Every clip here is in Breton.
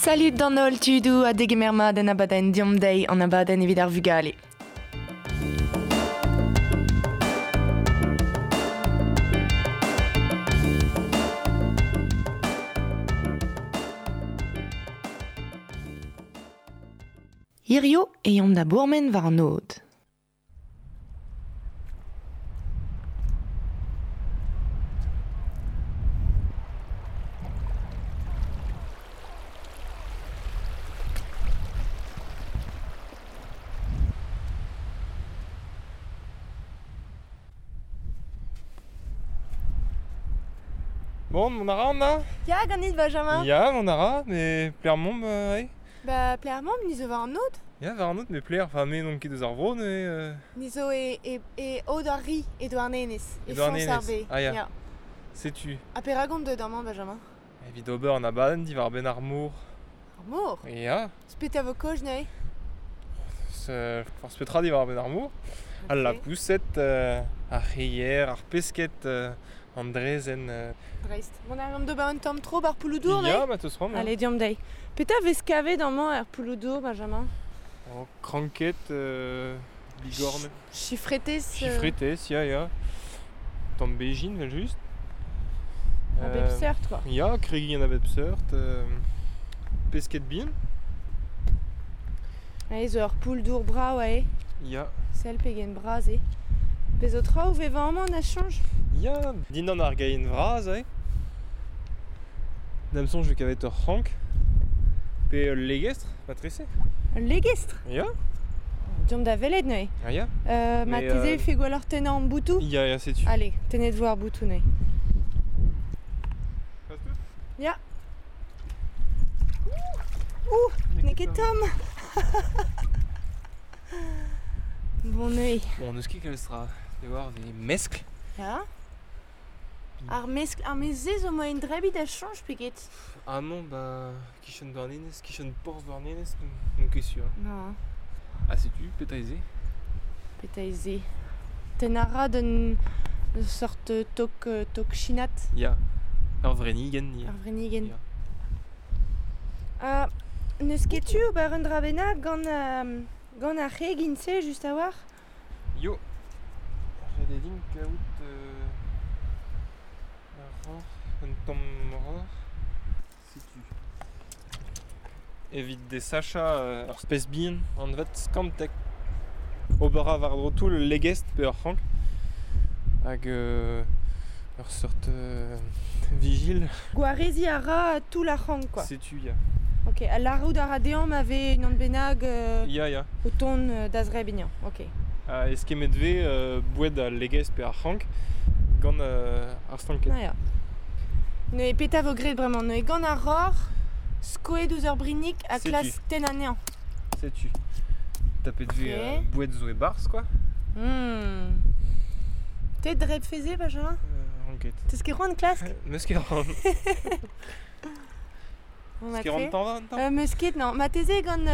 Salut d'an holl tudoù ha degemer mat en abadenn Deomp dezhi, an abadenn evit ar vugale. Hirio e yomp da bourmen war an aod. Bon, mont a ra an da? Ya, ganit, Benjamin. Ya, mont a ra, mais Plermont, ouais. Ba, Plermont, ni zo war an aod. Ya, war an aod, mais Pler, enfin, me n'on ket eus ar vro, mais... Ni zo e, e, e aod ar ri, e Douarnenez. E E Douarnenez. foñs ar be. Ah, ya. Setu. Ha perak on deuet amañ, Benjamin? Evit ober an abadenn diwar benn ar mor. Ar mor? Ya. Spet a vo kozh neuze? Forzh petra diwar benn ar mor. Al lapoused, ar c'hreier, ar pesked, an drezenn. Dreist. Mont a reomp d'ober un tamm tro bar Pouloudour, Ya, ma teus c'hoant. Allez, deomp dezhi. Petra vez kavet amañ er Pouloudour, Benjamin? Oh, kranked, bigorn. Chifretez. Chifretez, ya, ya. Tamm bezhin, vel just. A bep seurt, quoi. Ya, kregiñ a bep seurt. Pesked bihan. Ae zo ur poull-dour brav, ae. Ya. Sell pegen bras eo. Pezh zo traoù vevañ amañ na soñj? Ya, dindan ar gaenn vras, ae. Da'm soñj eo kavet ur c'hrank. Pe ul legestr, matrese. Ul legestr? Ya. Deomp da welet neuze. Ah ya. Marteze e fe gwelloc'h tennañ an boutoù? Ya, ya, setu. Allez, tennet vo ar boutoù neuze. Ya. Ouh, n'eo ket tomm. Bon neuze. Bon, n'eus ket kalz tra. Te war, vez meskl. Ya. Ar meskl, ar mez-se zo moaien drebiñ da chañj pe get? Amañ, ba, kichen Douarnenez, kichen porzh Douarnenez, n'on ket sur. Non. Ah, setu, petra eo se? Petra eo se? Tennañ a ra d'un sort tok, tok chinat. Ya, ur vrennigenn. Ur vrennigenn. Ha n'eus ket tu ober un dra bennak gant, gant ar c'hegin-se just a-walc'h? Yo, ret eo din kaout ur roc'h, un tamm roc'h. Setu. Evit desachañ ur spes bihan anvet skantek. Ober a war-dro toull ul legestr pe ur c'hrank. Hag ur seurt vigil. Gwareziñ a ra toull ar c'hrank, quoi. Setu, ya. Ok, ha lârout a ra dezhañ ma vez unan bennak Ya, ya. o tont da zrebiñ. Ok. Ha eskemmet vez boued al legestr pe ar c'hrank gant ar stanked. Ah, ya. Neuze petra vo graet bremañ? Neuze gant ar roc'h, skoet ouzh ur brinnig ha klask tenn anezhañ. Setu. Tapet vez boued zo e-barzh, quoi. Te drebfe-se, Benjamin? Ran ket. Teus ket c'hoant klask? Meus ket c'hoant. Meus ket c'hoant tañva un tamm? Meus ket, non. Marteze gant...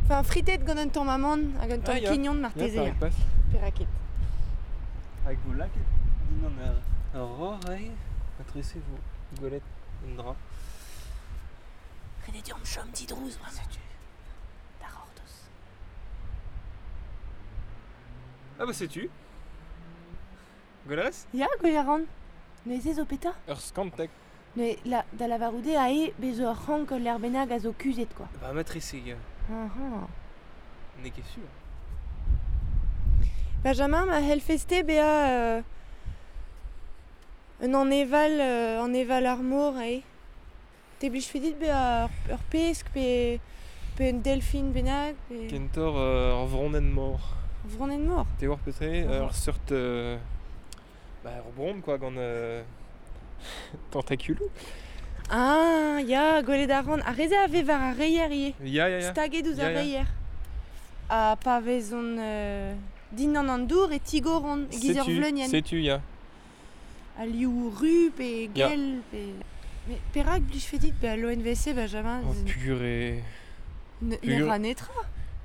Enfin, fritet gant un tamm amann hag un tamm kignon marteze. Ya, perak pas. Perak ket. Hag vo lakaet dindan ur roc'h aze, matrese vo gwelet un dra. Ret eo deomp chom didrouz bremañ. Setu. Da c'hortoz. Ah bah setu. Gwell a rez? Ya, gwell a ran. Neuze zo petra? Ur skantek. Neuze, la, da lavarout eo aze bez zo ur c'hrank ul lec'h bennak a zo kuzhet, quoi. Bah matrese, ya. Ah, N'eo ket sur. Benjamin, ma c'hellfes-te bezañ un aneval, aneval ar mor eo? Te blijfe dit bezañ ur pesk pe, pe un delfin bennak pe... Kentoc'h ur vronenn-mor. Ur vronenn-mor? Te oar petra eo? Ur seurt... bah, ur bronn, quoi, gant tentakuloù. Ah, ya, gwelet a ran. Ar re-se a vez war ar reier ivez. Ya, ya, ya. Staget ouzh ar Ya, ya. reier. Ha pa vezont dindan an dour e tigoront e-giz ur Setu, vleunienn. setu, ya. Al liv ru pe Ya. gell pe... Mais perak blijfe dit bezañ l'ONVC, Benjamin? Oh, purée. Ne Pur- ra netra.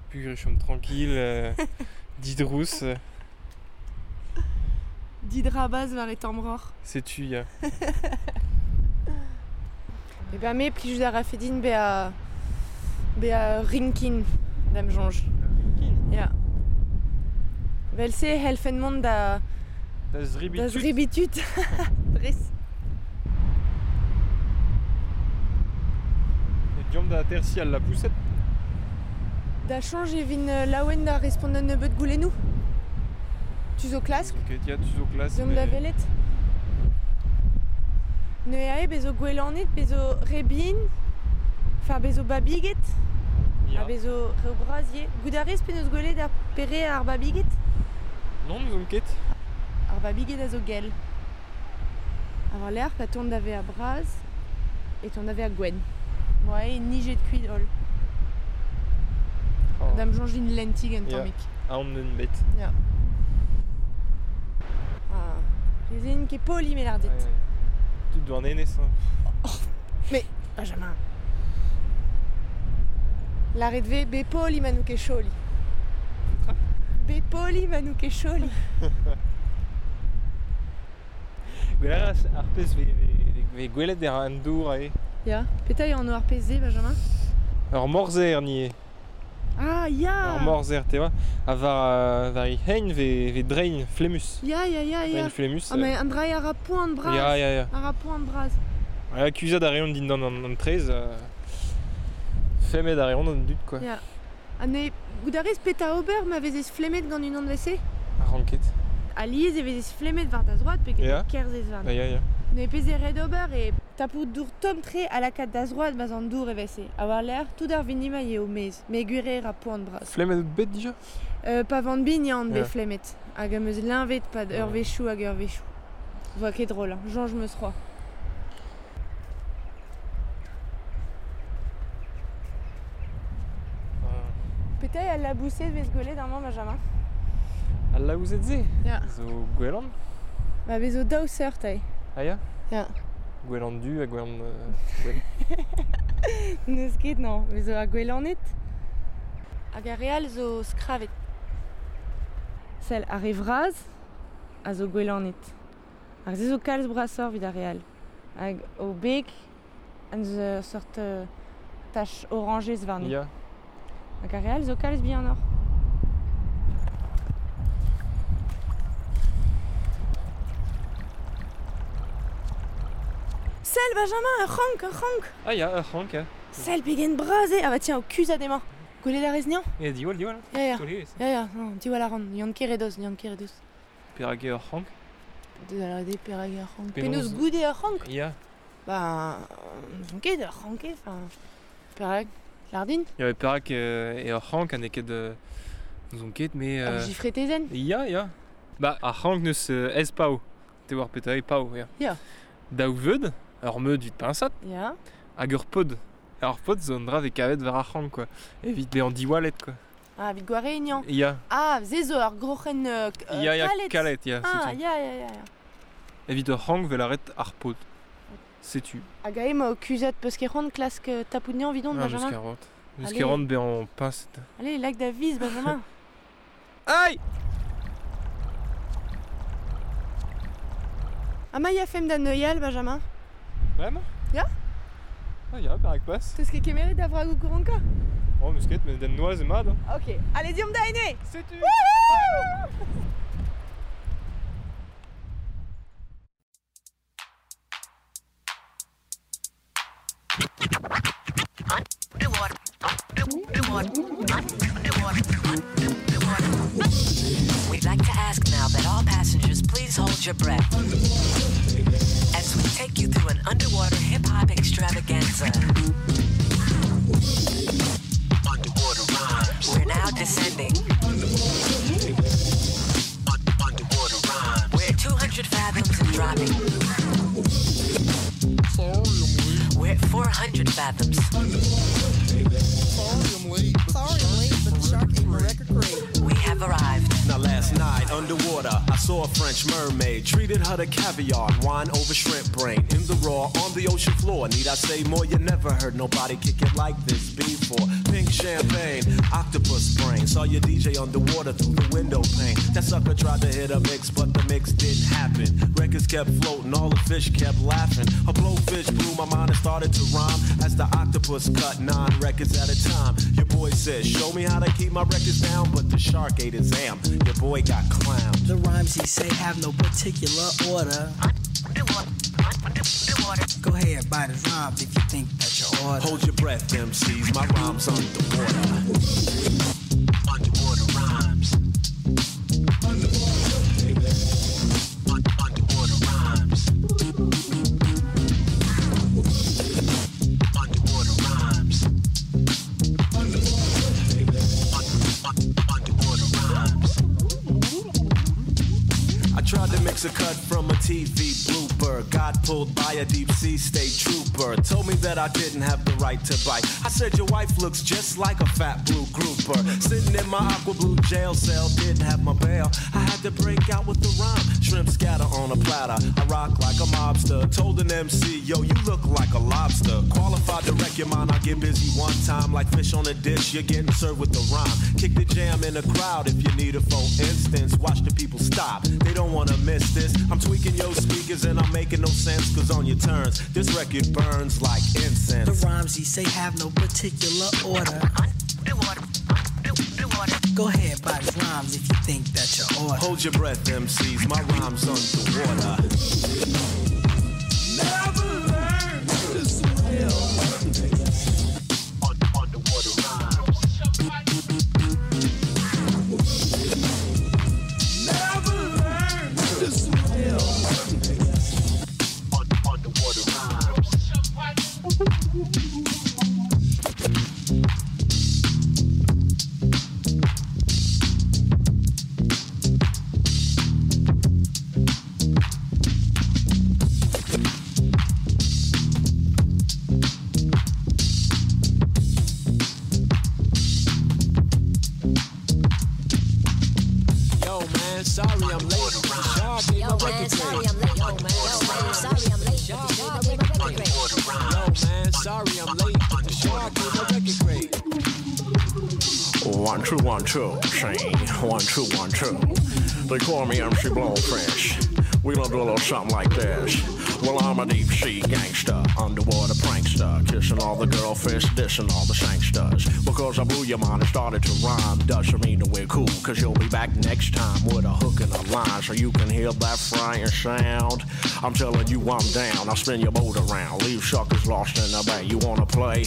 Purée, chom tranquille, didrous. Didrabaz war e tamm roc'h. Setu, ya. Eh ben me plijout a rafe din bezañ Bezañ rinkin da'm soñj. Rinkin? Ya. Vel-se e c'hellfen mont da... Da zrebiñ Da tud. zrebiñ tud. Dres. E deomp da atersiñ al lapoused. Da soñj e vin laouen da respont un nebeud goulennoù. Tu zo klask? Ket, ya, tu zo klask. Deomp da welet. Neuze ae bezo gwelaned, bezo re bihan, enfin bezo babiged, Ya. ha bezo re bras ivez. Goût a rez penaos gwelet ar pere ar babiged? Non, n'ouzon ket. Ar babiged a zo gell. Ha war-lerc'h, pa tont da vezañ bras, e tont da vezañ gwenn. Oa eo nijet kuit holl. Oh. Da'm soñj din lentig un Ya. tammig. Aon un bet. Ya. Ah, Rezin ket poli me lâr dit. Ouais, ouais. Tud Douarnenez, hein. Mais, Benjamin. Lâret 'vez be poli ma n'out ket choli. Be poli ma n'out ket choli. Gwelet a ras ar pezh vez, vez, vez gwelet er an dour ae. Ya, petra eo anv ar pezh-se, Benjamin? Ur morzer ni eo. Ah, ya Ur morzer, te oa. Ha war, war he hein vez, vez drein flemmus. Ya, ya, ya, ya. Drein flemmus. Ah, mais an dra a ra poan bras. Ya, ya, ya. A ra poan bras. Ya, kuzhat a reont dindan an, an traezh. Femmet a reont an dud, quoi. Ya. Ha ne goût a rez petra ober ma vezez flemmet gant unan vese? Ar ranket. Alies e vezez flemmet war da zroad pe get Ya. kerzhez warn. Ya, ya, ya. Ne pezh eo ret ober e tapout dour tomm-tre ha lakaat da zroad ma'z an dour e vese. Ha war-lerc'h, tout ar vinima eo maez, met gwir eo ra poan bras. Flemmet out bet dija? Pa van bin ya on bet Ya. flemmet. Hag am eus leñvet pad Ya. eurvezhioù hag eurvezhioù. Voa ket drol, hein. Soñj 'm eus c'hoazh. Petra eo al laboused vez gwelet amañ, Benjamin? Al laboused se? Ya. Zo gwelan? Ba bez zo daou seurt eo. Ah ya? Ya. Gwelan du ha gwelan gwenn. N'eus ket, non. Bez zo ar gwelaned. Hag ar re all zo skravet. Sell ar re vras a zo gwelaned. Ar se zo kalz brasoc'h evit ar re all. Hag o beg an eus seurt tach orañjez warne. Ya. Hag ar re all zo kalz bihanoc'h. Sell, Benjamin, ur c'hrank, ur c'hrank! Ah ya, ur c'hrank, ya. Sell pegen bras eo! Ah bah tiens, o kuzhat emañ. Gwelet a rez niañ? Ya, diwall, diwall. Ya, ya. Taol evezh. Ya, ya, non, diwall a ran. Yann Keredoz, Yann Keredoz. Perak eo ur c'hrank? Deus a lâret eo perak eo ur c'hrank. Penaos Penaos goude ur c'hrank? Ya. Ba, n'ouzon ket, ur c'hrank eo, enfin... Perak? Lâr din? Ya, perak eo ur c'hrank ha n'eo ket... n'ouzon ket, mais... Ur gifretezenn? Ya, ya. Ba, ar c'hrank neus ez pav. Te war petra eo pav, ya. Ya. Daou veud, ur meud evit piñsat, Ya. hag ur pod. Ar pod zo un dra vez kavet war ar c'hrank, quoi. Evit bezañ diwallet, quoi. Ah, evit gwareignañ. Ya. Ah, se zo ur groc'hen Ya, ya, kalet. kalet, ya, Ah, setu. ya, ya, ya, ya. Evit ur c'hrank vel aret ar pod. Setu. Hag ae ma o kuzhat peus ket c'hoant klask tapout niañ evidon, Ah, meus Benjamin? ket c'hoant. Meus Allez. ket c'hoant bezañ piñset. Allez, lak da viz, Benjamin. Aïe! Ha ma yafemp da neuial, Benjamin? Vraiment? Ya? Ah, ya, perak pas. Teus ket kemeret da vragoù kouronka? Oh, meus ket, met den noaz eo mat, hein. Ok, allez, deomp da ene! Setu! We'd like to ask now that all passengers please hold your breath as we take you through an underwater hip hop extravaganza. Underwater rhymes. We're now descending. Underwater rhymes. We're at 200 fathoms and dropping. We're at 400 fathoms. Sorry I'm late, but the shark ate my record crate. We have arrived. Now last night, underwater, I saw a French mermaid. Treated her to caviar and wine over shrimp brain. In the raw, on the ocean floor. Need I say more? You never heard nobody kick it like this before. Pink champagne, octopus brain. Saw your DJ underwater through the window pane. That sucker tried to hit a mix, but the mix didn't happen. Records kept floating, all the fish kept laughing. A blowfish blew my mind and started to rhyme as the octopus octopus cut 9 records at a time. Your boy says, show me how to keep my records down, but the shark ate his am. Your boy got clowned. The rhymes he say have no particular order. Go ahead, bite his rhymes if you think that you're order. Hold your breath, MCs, my rhymes underwater. Underwater rhymes. Underwater rhymes. Underwater rhymes. Underwater rhymes. I tried to mix a cut from a TV blooper. Got pulled by a deep sea state trooper. Told me that I didn't have the right to bite. I said your wife looks just like a fat blue grouper. Sitting in my aqua blue jail cell, didn't have my bail. I had to break out with the rhyme. Shrimp scatter on a platter. I rock like a mobster. Told an MC, yo, you look like a lobster. Qualified to wreck your mind, I get busy one time. Like fish on a dish, you're getting served with the rhyme. Kick the jam in the crowd if you need it for instance. Watch the people stop, they don't wanna miss this. I'm tweaking your speakers and I'm making no sense, cause on your turns, this record burns like incense. The rhymes he say have no particular order. Go ahead, bite his rhymes if you think that you're order. Hold your breath, MCs, my rhymes underwater. Never learn to swim. Underwater rhymes. Never learn to swim. Underwater rhymes. Yo, man, sorry I'm late. The shark ate my record crate. Yo, man, sorry I'm late. Yo, man, sorry I'm late. The shark ate my record crate. 1 2 1 2, say 1 2 1 2. They call me MC Blowfish. We gonna do a little something like this. Well, I'm a deep sea gangster, underwater prankster, kissing all the girlfish, dissing all the sangsters. Because I blew your mind and started to rhyme, doesn't mean that we're cool, cause you'll be back next time with a hook and a line, so you can hear that frying sound. I'm telling you I'm down, I'll spin your boat around, leave suckers lost in the bay. You wanna play?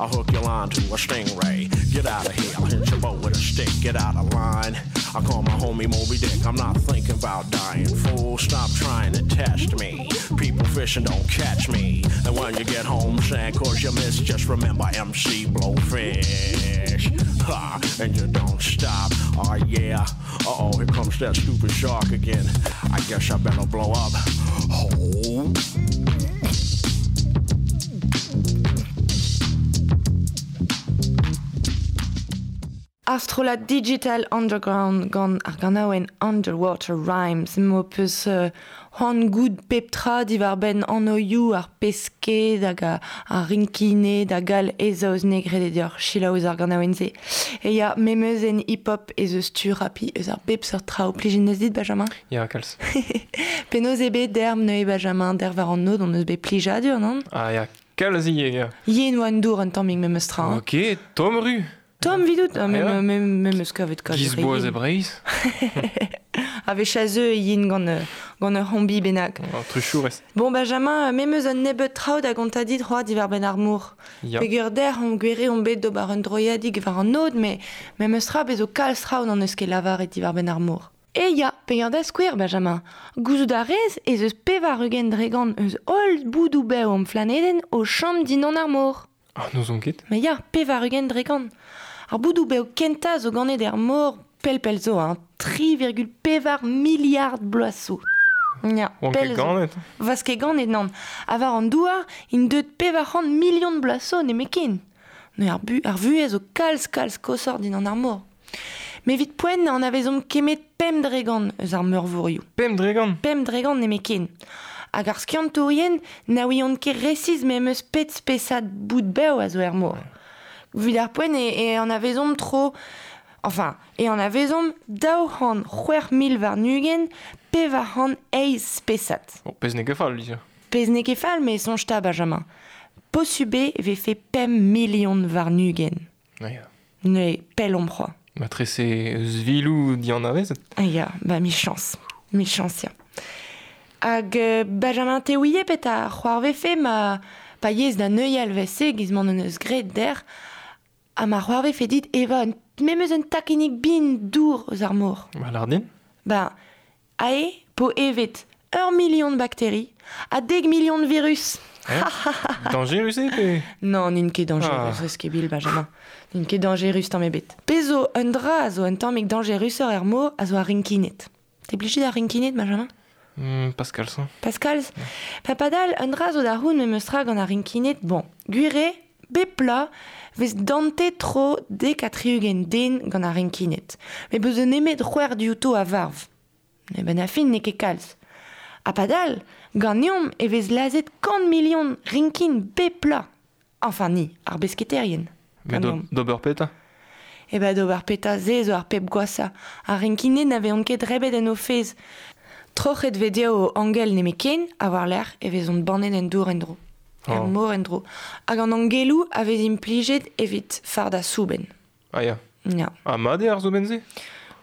I'll hook your line to a stingray. Get out of here, I'll hit your boat with a stick. Get out of line. I call my homie Moby Dick. I'm not thinking about dying, fool. Stop trying to test me. People fishing don't catch me. And when you get home sad cause you miss, just remember MC Blowfish. Ha, and you don't stop. Oh yeah. Uh-oh, here comes that stupid shark again. I guess I better blow up. Oh. Ar strollad Digital Underground gant ar ganaouenn Underwater Rhymes. M'ho peus c'hoant goût pep tra diwar-benn annoioù ar pesked hag ar rinkined hag all ez eus negret e deoc'h selaou eus ar ganaouenn-se. E ya, memeus en hip-hop ez eus tu rapi eus ar bep seurt traoù. Plijin eus dit, Benjamin? Ya, kalz. Penaos eo bet derm neuze, Benjamin, der war an nod, on eus bet plijadur, non? Ah ya, kalz ivez, ya. Yen oa an dour un tammig memes tra. Hein. Ok, tomm ru. Tomm vidout, ah, Ah, mem eus kavet kalz Giz re boaz yen. e Breizh. A vez chaseu yen gant ur c'hombi bennak. Oh, truchourez. Bon, Benjamin, mem eus un nebeud traoù da gontañ dit c'hoazh diwar-benn ar mor. Ya. Peogwir der on gwere on bet d'ober un droiadig war an nod, me mem eus tra bez o kalz traoù n'an eus ket lavaret diwar-benn ar mor. E ya, peogwir da skouer, Benjamin. Gouzout a rez ez eus pevar-ugent dregant eus holl boudoù bev am flanedenn o chom dindan ar mor. Ah, n'ouzon ket. Mais ya, pevar-ugent dregant. Ar boudoù bev kentañ zo ganet er mor pell-pell zo, hein. 3,4 milliard bloaz zo. Ya, Oan ket pell zo. ganet. Vaz ket ganet nann. Ha war an douar, int deut 400 million de bloaz zo nemetken. Neuze ar bu, ar vuhez zo kalz kalz kosoc'h dindan ar mor. Me evit poent an avezomp kemet pemp dregant eus ar meurvorioù. Pemp dregant? Pemp dregant nemetken. Hag ar skiantourien na ouiont ket resis memes eus pet spesad bout bev a zo er mor. Evit ar poent e an avezomp tro... Enfin, e an avezomp 206,000 war 408 spesad. Bon, pezh n'eo ket fall, Lisa. Pezh n'eo ket fall, me soñj ta, Benjamin. Posube e vefe pem milion war-nugen. Ya. Ne pell omp c'hoa. Ma trese eus vilou dian avezet. Ah ya, ba mi chans. Mi chans, ya. Hag Benjamin te ouie pet a c'hoar vefe ma pa yez da neuial vese giz man an eus graet der ha ma c'hoar vefe dit eva un, memeus un takenik bin dour eus ar mor. Ba lardin? Ba, ae po evet ur million de bakteri ha deg million de virus. Eh? Dangerus eo pe? Non, n'int ket dangerus, ah. Bil, Benjamin. N'int ket dangerus tamm ebet. Pezo un dra a zo un tammig dangeruseur er mor a zo ar rinkinet. Te blijet ar rinkinet, Benjamin? Pascal, ça. Pascal, pa padal, un dra zo da houn memeus tra gant ar rinkinet, bon, gwire, bepla, vez dante tro dek ha tri-ugent den gant ar rinkinet. Me beus un nemet c'hwec'h diouto a varv. Ne ben a fin n'eo ket kalz. Ha padal, ganeomp e vez lazet kant million rinkin bepla. Enfin ni, ar besketerien. Mais d'ober peta? E ba d'ober peta ze zo ar pep gwasa. Ar rinkinet n'aveont ket rebet en o fez. Troc'het vez dezho o angel nemeken, a war lerc'h e vezont bannet en dour en-dro. Er mor en-dro. Hag an angelou a vez implijet evit farda souben. Ah ya. Ya. Ha mat eo ar souben-se?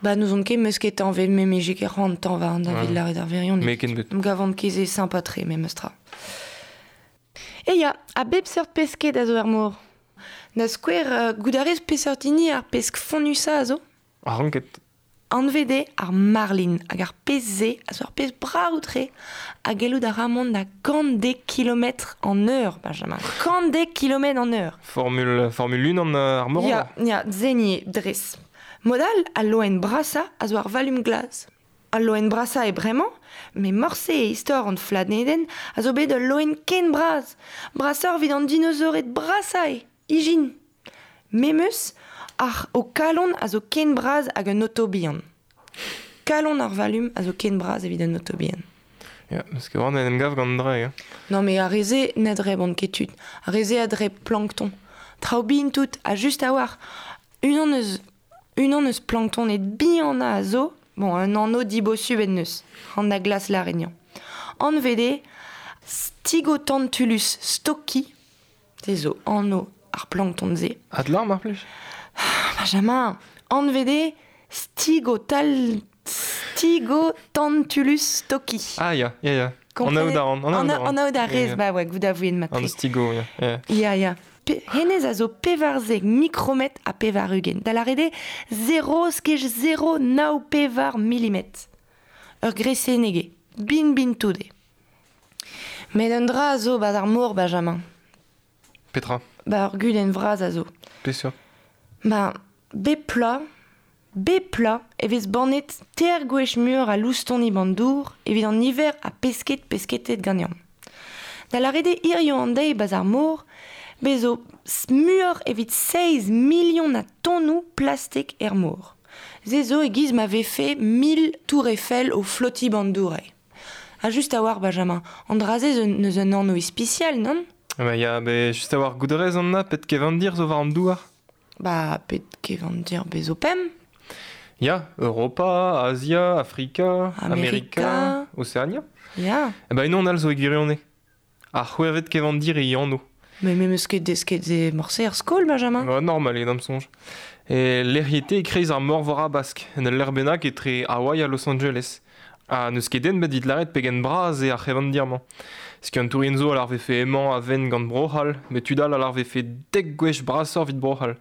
Ba n'ouzon ket meus ket tañvet me me ket c'hoant tañva an David Laret ar verion. Me ken bet. Em gavant ket se sympa-tre memes tra. E ya, a bep seurt pesked a zo er mor. Da skouer, goût a rez peseurt hini ar pesk fonnusa a zo? Ar ranket. Anvet eo ar marlin hag ar pezh-se a zo ar pezh brav-tre ha gellout a ra mont da kant dek kilometr an eur, Benjamin. Kant dek kilometr an eur. Formule, Formule 1 an ar mor. Ya, ya, zeni dres. Mod all, al loen brasañ a zo ar valum glas. Al loen brasañ eo bremañ, met morse e istor an flanedenn a zo bet ul loen ken bras. Brasoc'h evit an dinosaored brasañ eo, ijin. Memes, ar ho kalon a zo ken bras hag un oto bihan. Kalon ar valum a zo ken bras evit un oto bihan. Ya, parce que war en em gav gant dra, ya. Non mais ar re-se na drebont ket tud. Ar re-se a dreb plankton. Traoù bihan tout, ha just a-walc'h. Unan eus, unan eus planktoned bihanañ a zo, bon, un anv dibosubl en deus, an da glas lâret Anvet eo Stygotantulus stocki, se zo anv ar plankton-se. Adlar, mar plij? Benjamin, anvet eo Stygotal... Stygotantulus stocki. Ah ya, ya, ya. An aout a ran, an aout a ran. An aout a rez, ba oa, goût a vouen matre. An stigo, ya. Ya, ya. ya. Hennezh a zo pevarzek mikrometr ha pevar-ugent. Da lâret eo 0 skej 0 nav pevar milimetr. Ur gresenneg eo. Bin bin tout eo. Met un dra a zo 'barzh ar mor, Benjamin. Petra? Ba ur gudenn vras a zo. Peseurt? Ba, bep plat, bep plat e vez bannet teir gwech muioc'h a loustoni ban dour evit an niver a pesked pesketet ganeomp. Da lâret eo hiziv an deiz 'barzh ar mor, bez zo muioc'h evit seizh milion a tonnoù plastik er mor. Se zo e-giz ma vefe mil tour Eiffel o flotiñ ban dour eo. Ha just a-walc'h, Benjamin, an dra-se zo n'eus un anv ispisial, nann? Ba ya, bet just a-walc'h goût a rez an na pet kevandir zo war an douar. Ba, pet kevandir bez zo pemp. Ya, Europa, Azia, Afrika, Amerika, Oceania. Ya. E ba unan all zo e gwirionez. Ar c'hwec'hvet kevandir e anv. Mais me meus ket desket se morse er skol, Benjamin. Ba, normal eo d'am soñj. E lec'hiet eo e-kreiz ar Morvor Habask, en ul lec'h bennak etre Hawaii ha Los Angeles. Ha n'eus ket den bet evit lâret pegen bras eo ar c'hevandir-mañ. Skiantourien zo a lâr vefe emañ a-venn gant Bro-C'hall, met tud all a lâr vefe dek gwech brasoc'h evit Bro-C'hall.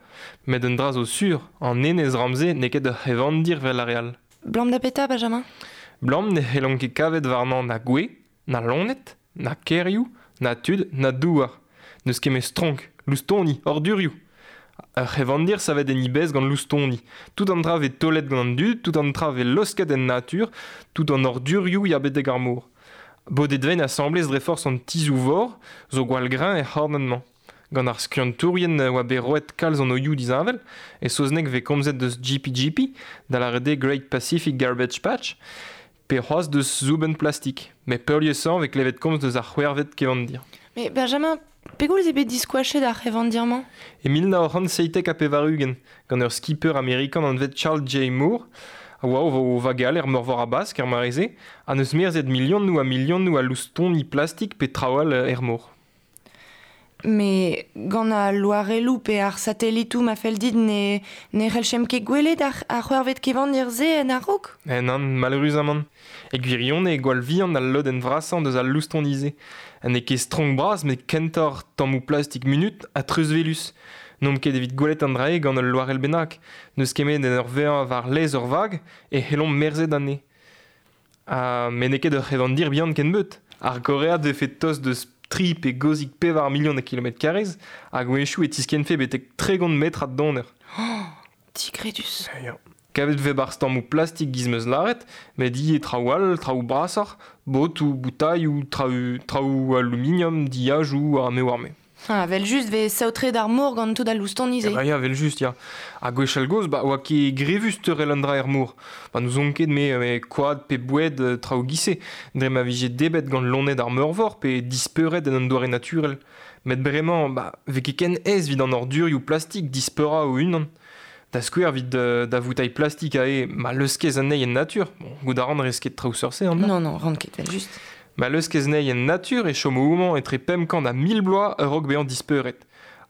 Met un dra zo sur, an enez ramz-se n'eo ket ur c'hevandir evel ar re all. Blam da petra, Benjamin? Blam ne c'hellont ket kavet warnañ na gwez, na loened, na kêrioù, na tud, na douar. N'eus ket met stronk, loustoni, ordurioù. Ur c'hevandir savet en e bezh gant loustoni. Tout an dra vez taolet gant an dud, tout an dra vez losket en natur, tout an ordurioù ya betek ar mor. Bodet vent asambles dre forzh an tizhoù-vor zo gwall greñv er c'hornad-mañ. Gant ar skiantourien oa bet roet kalz an oioù disheñvel, e saozneg vez komzet deus GPGP, da lâret eo Great Pacific Garbage Patch, pe c'hoazh deus soubenn plastik. Met peurliesañ vez klevet komz deus ar c'hwec'hvet kevandir. Mais Benjamin, pegoulz eo bet diskoachet ar c'hevandir-mañ? E 1997, gant ur skipper amerikan anvet Charles J. Moore, a oa o vagal er Meurvor Habask er mare-se, ha n'eus merzet milionoù ha milionoù a loustoni plastik pe traoù all er mor. Me gant al loarelloù pe ar satellitoù ma fell dit ne c'hellchemp ket gwelet ar c'hwec'hvet kevandir-se en a-raok? Nann, maleüruzamant. E gwirionez eo gwall vihan al lodenn vrasañ deus al loustoni-se. N'eo ket stronk bras met kentoc'h tammoù plastik munut ha treuzwelus. N'omp ket evit gwelet an dra-se gant ul loarell bennak. N'eus ket met en ur vezañ war lez ur vag e c'hellomp merzet anezhe. Ha met n'eo ket ur c'hevandir bihan kennebeut. Ar gorread vefe tost deus 3 pe gozik 4 million a kilometr karrez, hag wechoù e tiskennfe betek 30 metrad donner. Oh, digredus. Ya. Kavet vez barzh tammoù plastik giz 'm eus lâret, met ivez traoù all, traoù brasoc'h, botoù, boutailhoù, traoù aluminium, diajoù ha me oar me. Ah, evel-just 'vez saotret ar mor gant tout al loustoni-se. Eh ba ya, evel-just, ya. Ha gwechall-gozh, ba oa ket grevus teurel an dra er mor. Ba n'ouzon ket me koad pe boued traoù giz-se, dre ma vije debret gant loened ar meurvor pe dispeuret en un doare naturel. Met bremañ, ba 'vez ket ken aes evit an ordurioù plastik dispeurañ o-unan. Da skouer evit da voutailh plastik aze, ma leuskez anezhi en natur, bon, goût a ran 'rez ket traoù seurt-se, an Non, non, ran ket, evel-just. Ma leuskez anezhi en natur e chomo homañ etre 500 ha 1000 bloaz a-raok bezañ dispeuret.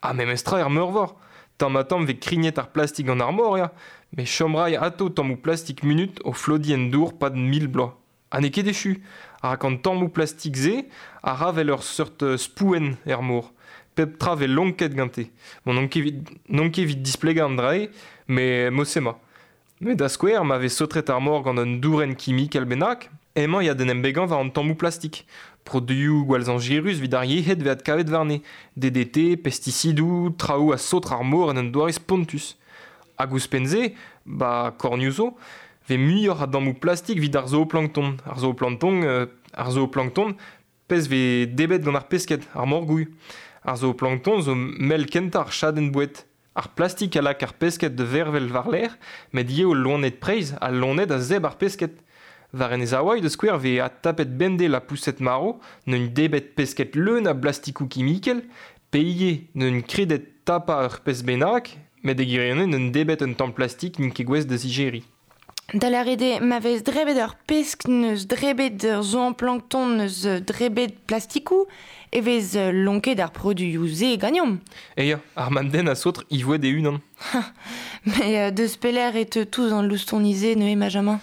Ha memestra er meurvor. Tamm-ha-tamm 'vez krignet ar plastik gant ar mor, ya. Met chom 'ray atav tammoù plastik munut o flodiñ en dour 'pad 1000 bloaz. Ha n'eo ket echu, rak an tammoù plastik-se a ra 'vel ur seurt spouenn er mor. Pep tra 'vez lonket gante. Bon, n'on ket evit displegañ an dra-se, met mod-se 'ma. Met da skouer, ma vez saotret ar mor gant un dourenn kimikel bennak, emañ ya d'en em begañ war an tammoù plastik. Produioù gwall zañjerus evit ar yec'hed 'vez adkavet warne. DDT, pestisidoù, traoù a saotr ar mor en un doare spontus. Hag ouzhpenn-se, ba kornioù zo, 'vez muioc'h a dammoù plastik evit ar zooplankton. Ar zooplankton, pezh 'vez debret gant ar pesked, ar morgouilh. Ar zooplankton zo mell kentañ ar chadenn boued. Ar plastik a lak ar pesked da vervel war-lerc'h, met ivez o loened-preizh, al loened a zebr ar pesked. War Enez Hawaii da skouer 'vez adtapet bemdez lapoused marv, neuint debret pesked leun a blastikoù kimikel, pe ivez neuint kredet tapañ ur pezh bennak, met e gwirionez neuint debret un tamm plastik n'int ket gouest da zijeriñ. Da lâret eo ma vez drebet ur pesk n'eus drebet ur zooplankton n'eus drebet plastikoù e vez lonket ar produioù-se ganeomp. E ya, ar mab-den a saotr ivouet e-unan. Mais deus pelec'h e teu tous an loustoni-se neuze, Benjamin?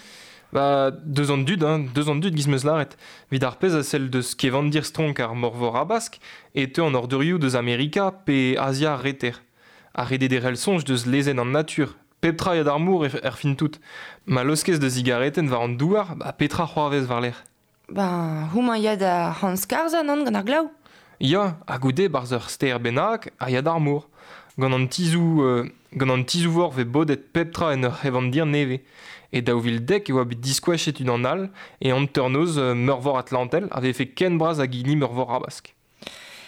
Ba, deus an dud, hein, deus an dud giz 'm eus lâret. Evit ar pezh a sell deus kevandir stronk ar Morvor Habask e teu an ordurioù deus Amerika pe Azia ar Reter. Ar redederel soñj deus lezenn an natur, Pep tra ya d'ar mor er fin tout. Ma laoskez da zigaretenn war an douar, ba petra c'hoarvez war-lerc'h? Ben, houmañ ya da c'han-skarzhañ, nann, gant ar glav. Ya, ha goude 'barzh ur stêr bennak a ya d'ar mor. Gant an tizhoù gant an tizhoù-vor 'vez bodet pep tra en ur c'hevandir nevez. E 2010 e oa bet diskoachet unan all e hanternoz Meurvor Atlantel a vefe ken bras hag hini Meurvor Habask.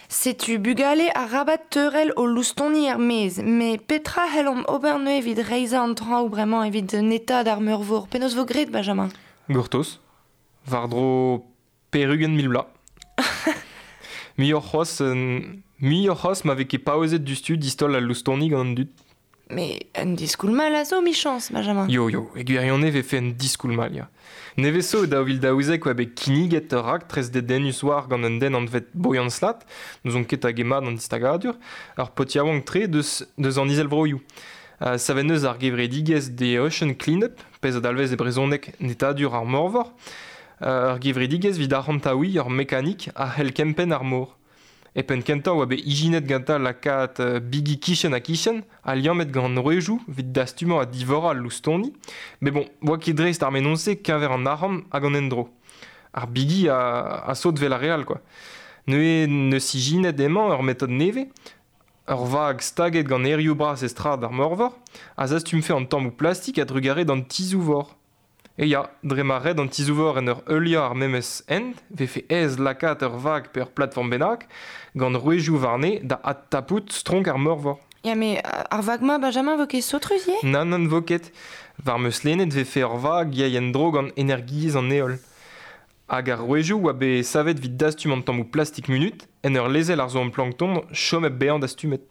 Setu bugale arabat teurel o loustoni er-maez. Met petra c'hellomp ober neuze evit reizhañ an traoù bremañ evit netaat ar meurvor? Penaos 'vo graet, Benjamin? Gortoz. War-dro 80 000 vloaz. Muioc'h c'hoazh ma vez ket paouezet diouzhtu distaol al loustoni gant an dud. Mais un diskoulm all a zo, 'michañs, Benjamin. Yo, yo, e gwirionez 'vefe un diskoulm all, ya. Nevez zo e 2012 oa bet kinniget ur raktres dedennus war gant un den anvet Boyan Slat, n'ouzon ket hag eo mat an distagadur, ur paotr yaouank-tre deus an Izelvroioù. Savet neus ar gevredigezh The Ocean Cleanup, pezh a dalvez e brezhoneg netadur ar morvor, ur gevredigezh evit arc'hantaouiñ ur mekanik a c'hell kempenn ar mor. E penn-kentañ oa bet ijinet gantañ lakaat bigi kichen-ha-kichen ha liammet gant an rouejoù evit dastumañ ha divorañ al loustoni. Met bon, 'oa ket dreist ar mennozh-se keñver an arc'hant hag an endro. Ar bigi a saot 'vel ar re all, quoi. Neuze 'neus ijinet emañ ur metod nevez, ur vag staget gant erioù bras e strad ar meurvor a zastumfe an tammoù plastik a-drugarez d'an tizhoù-vor. E ya, dre ma red an tizhoù-vor en ur heuliañ ar memes hent 'vefe aes lakaat ur vag pe ur platform bennak gant rouezioù warne da adtapout stronk ar meurvor. Ya, met ar vag-mañ, Benjamin, 'vo ket saotrus ivez? Nann, nann, 'vo ket. War 'm eus lennet 'vefe ur vag yay en-dro gant energiezh an heol. Hag ar rouezioù 'oa bet savet evit dastum an tammoù plastik munut en ur lezel ar zooplankton chom hep bezañ dastumet.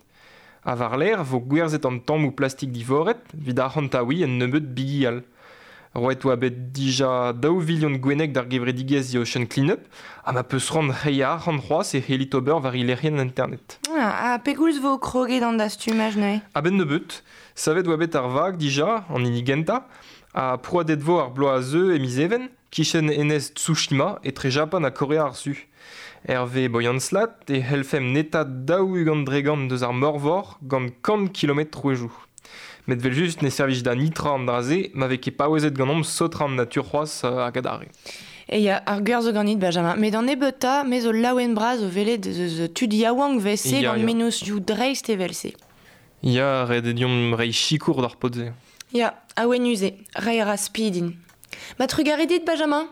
Ha war-lerc'h 'vo gwerzhet an tammoù plastik divoret evit arc'hantaouiñ un nebeud bigi all. Roet oa bet dija daou vilion gwenneg d'ar gevredigezh The Ocean Cleanup, ha ma peus c'hoant reiñ arc'hant c'hoazh e c'hellit ober war he lec'hienn internet. Ah, ha pegoulz vo kroget an dastumaj neuze? A-benn nebeut, savet oa bet ar vag dija, an hini gentañ, ha prouadet vo ar bloaz a zeu e miz Even, kichen enez Tsushima, etre Japan ha Korea ar Su. Hervez Boyan Slat e c'hellfemp netaat 40% deus ar meurvor gant 100 kilometr rouejoù. Met evel-just ne servij da netra an dra-se ma vez ket paouezet ganeomp saotrañ an natur c'hoazh hag adarre. E ya, ar gwir zo ganit, Benjamin. Met an nebeutañ, me zo laouen-bras o welet eus tud yaouank 'vez-se gant mennozhioù dreist evel-se. Ya, ret eo deomp reiñ sikour d'ar paotr-se. Ya, awenus eo, reiñ a ra spi din. Ma trugarez dit, Benjamin.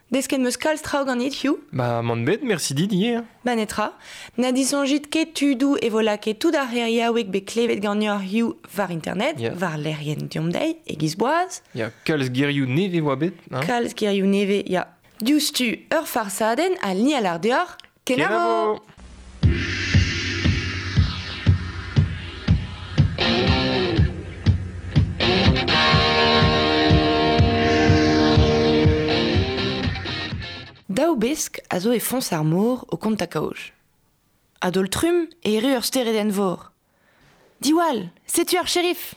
Desket 'meus kalz traoù ganit, Hugh. Ba, mann bet, mersi dit ivez. Ba netra. Na disoñjit ket tudoù e vo lakaet tout ar c'heriaoueg bet klevet ganeoc'h Hugh war internet, yeah. war lec'hienn Deomp Dezhi, e-giz boaz. Ya, kalz gerioù nevez oa bet. Hein? Kalz gerioù nevez, ya. Diouzhtu ur farsadenn ha ni a lar deoc'h kenavo! Daou besk a zo e foñs ar mor o kontañ kaoj. A-daol-trumm e erru ur steredenn-vor. Diwall, setu ar sheriff!